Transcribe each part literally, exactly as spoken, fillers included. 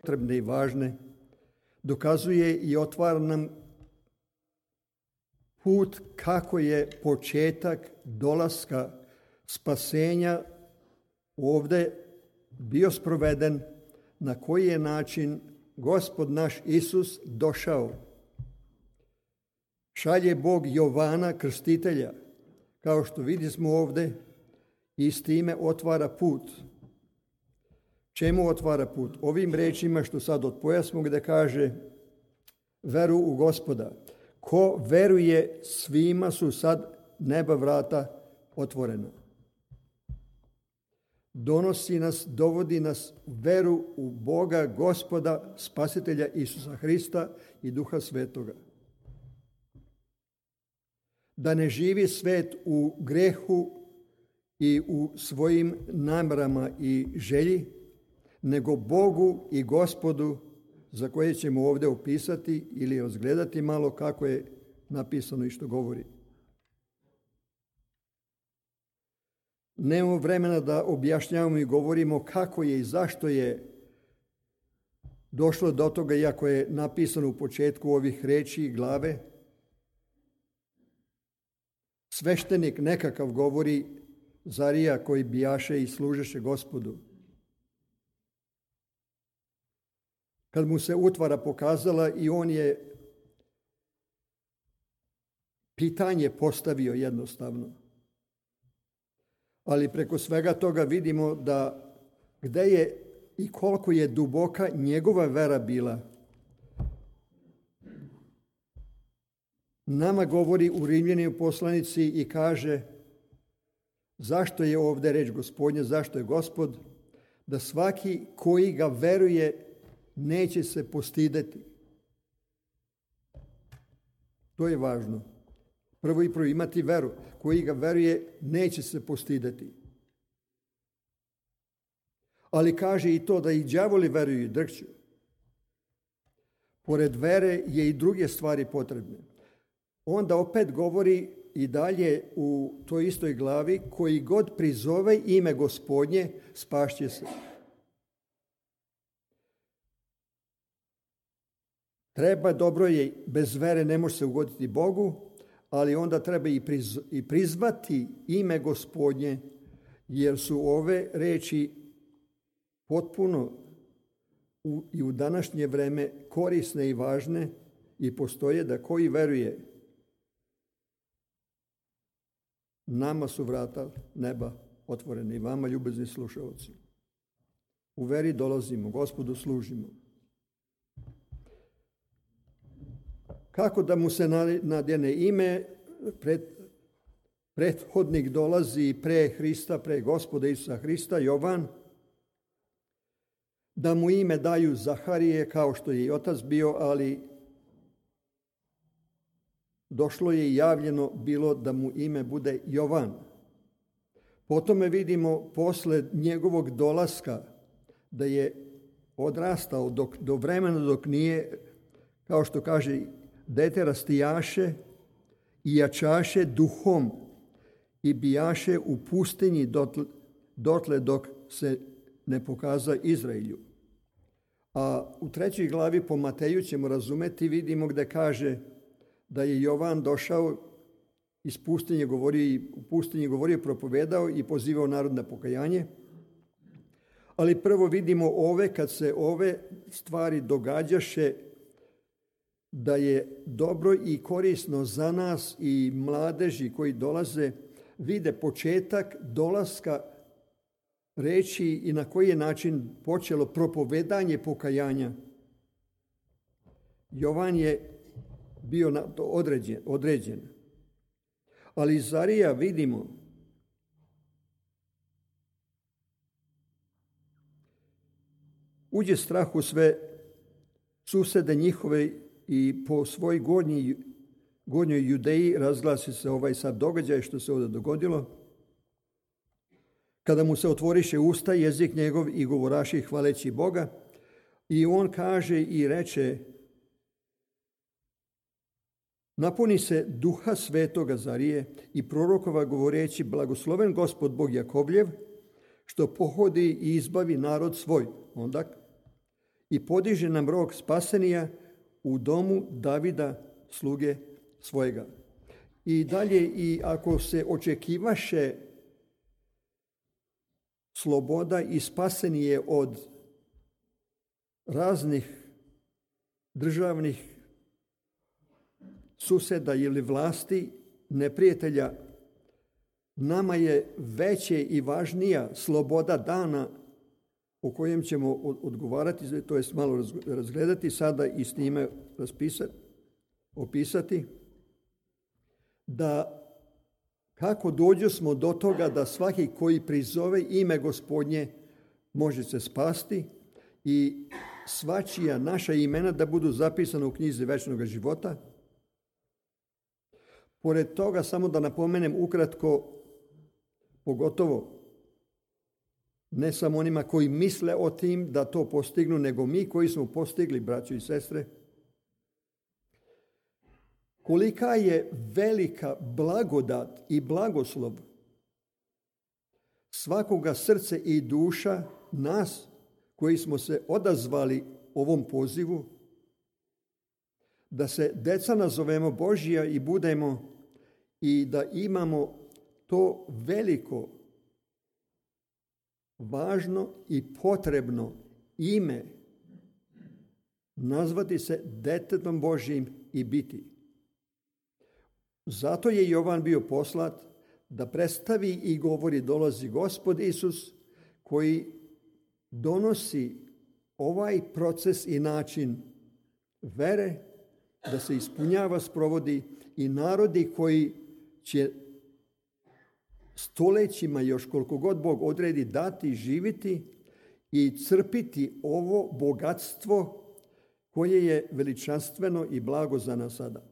potrebne i važne, dokazuje i otvara nam put kako je početak dolaska spasenja ovdje bio sproveden, na koji je način Gospod naš Isus došao. Šalje Bog Jovana Krstitelja, kao što vidimo ovdje, i s time otvara put. Čemu otvara put? Ovim rečima što sad odpojasmo, gdje kaže veru u Gospoda. Ko veruje, svima su sad neba vrata otvorena. Donosi nas, dovodi nas u veru u Boga, Gospoda, Spasitelja Isusa Hrista i Duha Svetoga. Da ne živi svet u grehu i u svojim namjerama i želji, nego Bogu i Gospodu, za koje ćemo ovdje opisati ili razgledati malo kako je napisano i što govori. Nemamo vremena da objašnjavamo i govorimo kako je i zašto je došlo do toga, iako je napisano u početku ovih reči i glave. Sveštenik nekakav govori, Zarija koji bijaše i služeše Gospodu. Kad mu se utvara pokazala i on je pitanje postavio jednostavno. Ali preko svega toga vidimo da gde je i koliko je duboka njegova vera bila. Nama govori u Rimljanima poslanici i kaže zašto je ovdje reč Gospodnja, zašto je Gospod, da svaki koji ga veruje neće se postideti. To je važno. Prvo i prvo imati veru. Koji ga veruje neće se postideti. Ali kaže i to da i đavoli veruju i drhću. Pored vere je i druge stvari potrebne. Onda opet govori i dalje u toj istoj glavi, koji god prizove ime Gospodnje, spašće se. Treba, dobro je, bez vere ne može se ugoditi Bogu, ali onda treba i, priz, i prizvati ime Gospodnje, jer su ove reči potpuno u, i u današnje vreme korisne i važne i postoje da koji veruje, nama su vrata neba otvorene i vama, ljubezni slušalci. U veri dolazimo, Gospodu služimo. Kako da mu se nadjene ime? Pred, prethodnik dolazi pre Hrista, pre Gospoda Isusa Hrista, Jovan. Da mu ime daju Zaharije, kao što je i otac bio, ali došlo je i javljeno bilo da mu ime bude Jovan. Potom vidimo posle njegovog dolaska da je odrastao dok, do vremena dok nije, kao što kaže, dete rastijaše i jačaše duhom i bijaše u pustinji dotle, dotle dok se ne pokaza Izraelju. A u trećoj glavi po Mateju ćemo razumeti, vidimo gdje kaže da je Jovan došao iz pustinje, govorio, u pustinji govorio, propovedao i pozivao narod na pokajanje. Ali prvo vidimo ove, kad se ove stvari događaše, da je dobro i korisno za nas i mladeži koji dolaze, vide početak dolaska reći i na koji je način počelo propovedanje pokajanja. Jovan je bio na to određen, određen. Ali Zarija vidimo uđe strah u sve susede njihove i po svoj gornji, gornjoj Judeji razglasi se ovaj sad događaj što se ovdje dogodilo. Kada mu se otvoriše usta, jezik njegov i govoraši hvaleći Boga, i on kaže i reče: napuni se Duha Svetoga Zarije i prorokova govoreći: blagosloven Gospod Bog Jakovljev, što pohodi i izbavi narod svoj. Onda i podiže nam rog spasenija u domu Davida, sluge svojega. I dalje, i ako se očekivaše sloboda i spasenije od raznih državnih suseda ili vlasti, neprijatelja, nama je veće i važnija sloboda dana o kojem ćemo odgovarati, to je malo razgledati sada i s njime raspisati, opisati, da kako dođu smo do toga da svaki koji prizove ime Gospodnje može se spasti i svačija naša imena da budu zapisana u knjizi večnog života. Pored toga, samo da napomenem ukratko, pogotovo ne samo onima koji misle o tim da to postignu, nego mi koji smo postigli, braćo i sestre, kolika je velika blagodat i blagoslov svakoga srce i duša nas koji smo se odazvali ovom pozivu, da se deca nazovemo Božja i budemo i da imamo to veliko, važno i potrebno ime, nazvati se detetom Božjim i biti. Zato je Jovan bio poslat da predstavi i govori dolazi Gospod Isus, koji donosi ovaj proces i način vere da se ispunjava, sprovodi i narodi koji će stolećima, još koliko god Bog odredi, dati, živiti i crpiti ovo bogatstvo koje je veličanstveno i blago za nas sada.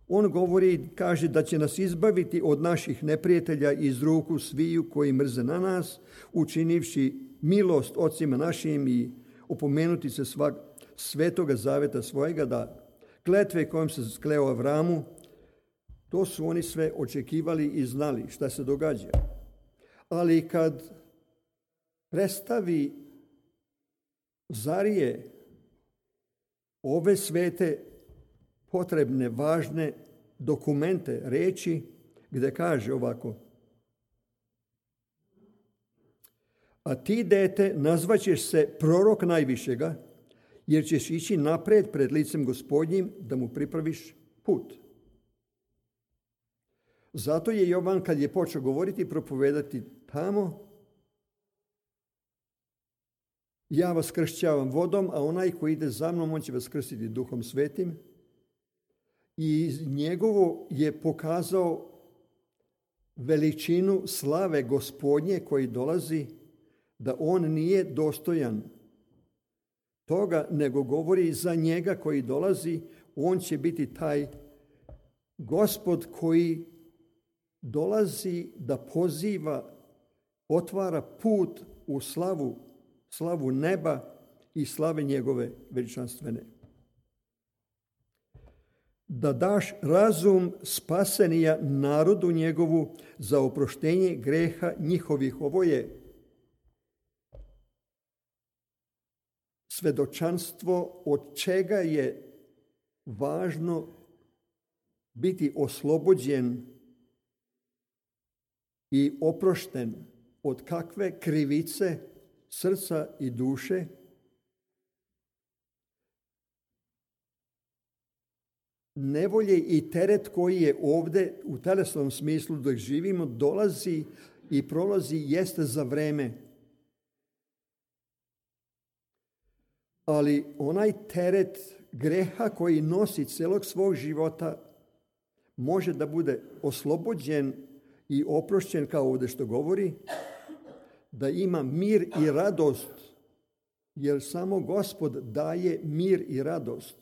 On govori, kaže da će nas izbaviti od naših neprijatelja iz ruku sviju koji mrze na nas, učinivši milost ocima našim i opomenuti se svak svetoga zaveta svojega, da kletve kojom se skleo Avramu, to su oni sve očekivali i znali šta se događa. Ali kad predstavi Zarije ove svete potrebne, važne dokumente, reči, gde kaže ovako: a ti, dete, nazvaćeš se prorok najvišega, jer ćeš ići napred pred licem Gospodnjim da mu pripraviš put. Zato je Jovan, kad je počeo govoriti i propovedati tamo, ja vas kršćavam vodom, a onaj koji ide za mnom, on će vas krstiti Duhom Svetim. I njegovo je pokazao veličinu slave Gospodnje koji dolazi, da on nije dostojan toga, nego govori za njega koji dolazi, on će biti taj Gospod koji dolazi da poziva, otvara put u slavu, slavu neba i slave njegove veličanstvene. Da daš razum spasenija narodu njegovu za oproštenje greha njihovih. Ovo je svedočanstvo od čega je važno biti oslobođen i oprošten, od kakve krivice srca i duše, nevolje i teret koji je ovde u telesnom smislu dok živimo dolazi i prolazi jeste za vreme. Ali onaj teret greha koji nosi celog svog života može da bude oslobođen i oprošćen, kao ovde što govori, da ima mir i radost, jer samo Gospod daje mir i radost.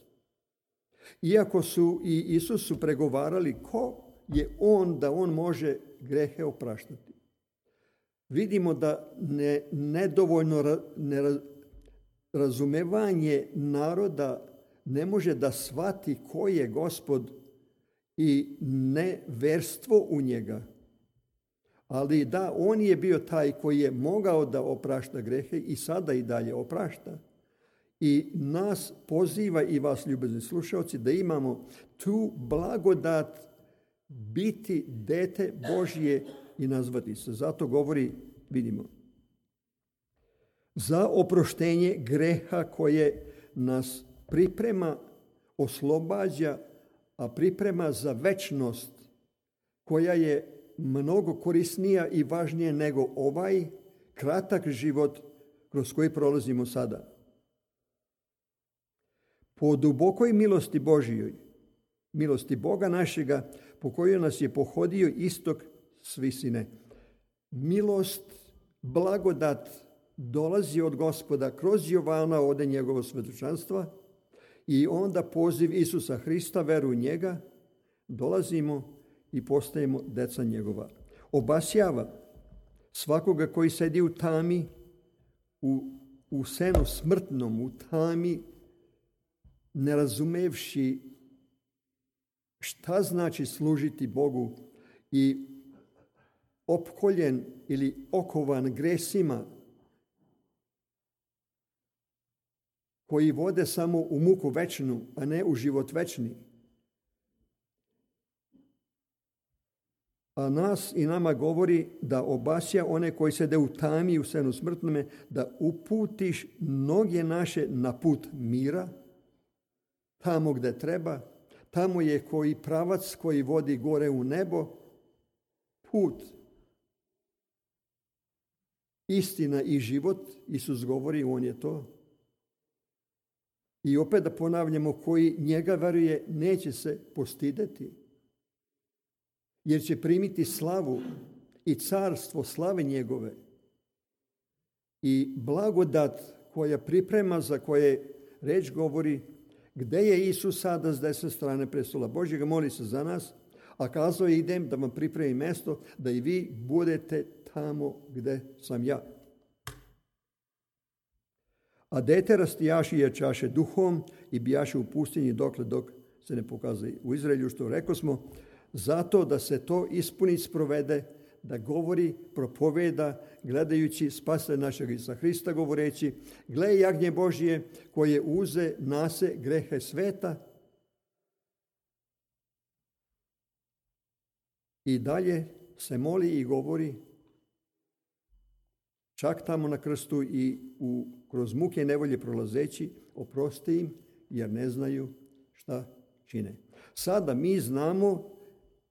Iako su i Isusu pregovarali ko je on da on može grehe opraštati. Vidimo da ne, nedovoljno ne, razumevanje naroda ne može da shvati ko je Gospod i neverstvo u njega. Ali da, on je bio taj koji je mogao da oprašta grehe i sada i dalje oprašta. I nas poziva i vas, ljubazni slušalci, da imamo tu blagodat biti dete Božje i nazvati se. Zato govori, vidimo, za oproštenje greha koje nas priprema, oslobađa, a priprema za večnost koja je mnogo korisnija i važnija nego ovaj kratak život kroz koji prolazimo sada. Po dubokoj milosti Božjoj, milosti Boga našega, po kojoj nas je pohodio istok s visine. Milost, blagodat dolazi od Gospoda kroz Jovana, ode njegovo svedočanstva, i onda poziv Isusa Hrista, veru u njega, dolazimo i postajemo deca njegova. Obasjava svakoga koji sedi u tami, u, u senu smrtnom, u tami, ne razumevši šta znači služiti Bogu i opkoljen ili okovan gresima koji vode samo u muku večnu, a ne u život večni. A nas i nama govori da obasja one koji sede u tami u senu smrtnome, da uputiš noge naše na put mira, tamo gde treba. Tamo je koji pravac koji vodi gore u nebo, put, istina i život. Isus govori, on je to. I opet da ponavljamo, koji njega veruje neće se postideti, jer će primiti slavu i carstvo slave njegove i blagodat koja priprema, za koje reč govori, gde je Isus sada s desne strane prestola Božjega, moli se za nas, a kazao je, idem da vam pripremim mesto, da i vi budete tamo gde sam ja. A dete rastijaši jačaše duhom i bijaše u pustinji dokle dok se ne pokazuje u Izraelju, što rekao smo, zato da se to ispuni, sprovede, da govori, propoveda, gledajući spasitelja našeg Isusa Hrista, govoreći, gle jagnje Božje koje uze nase grehe sveta. I dalje se moli i govori, čak tamo na krstu i u, kroz muke i nevolje prolazeći, oprosti im jer ne znaju šta čine. Sada mi znamo,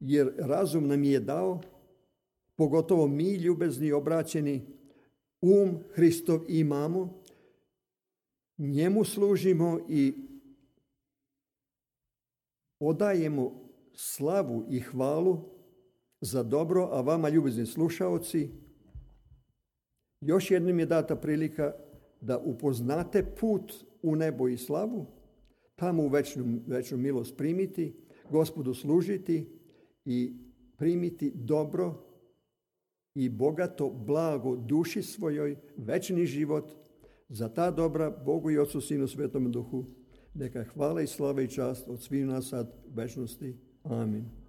jer razum nam je dao, pogotovo mi ljubezni obraćeni, um Hristov imamo, njemu služimo i odajemo slavu i hvalu za dobro, a vama, ljubezni slušaoci, još jednom je data prilika da upoznate put u nebo i slavu, tamo u večnu, večnu milost primiti, Gospodu služiti i primiti dobro i bogato blago duši svojoj, večni život. Za ta dobra Bogu i Otcu, Sinu, Svetom Duhu, neka hvala i slava i čast od svih nas sad u večnosti. Amin.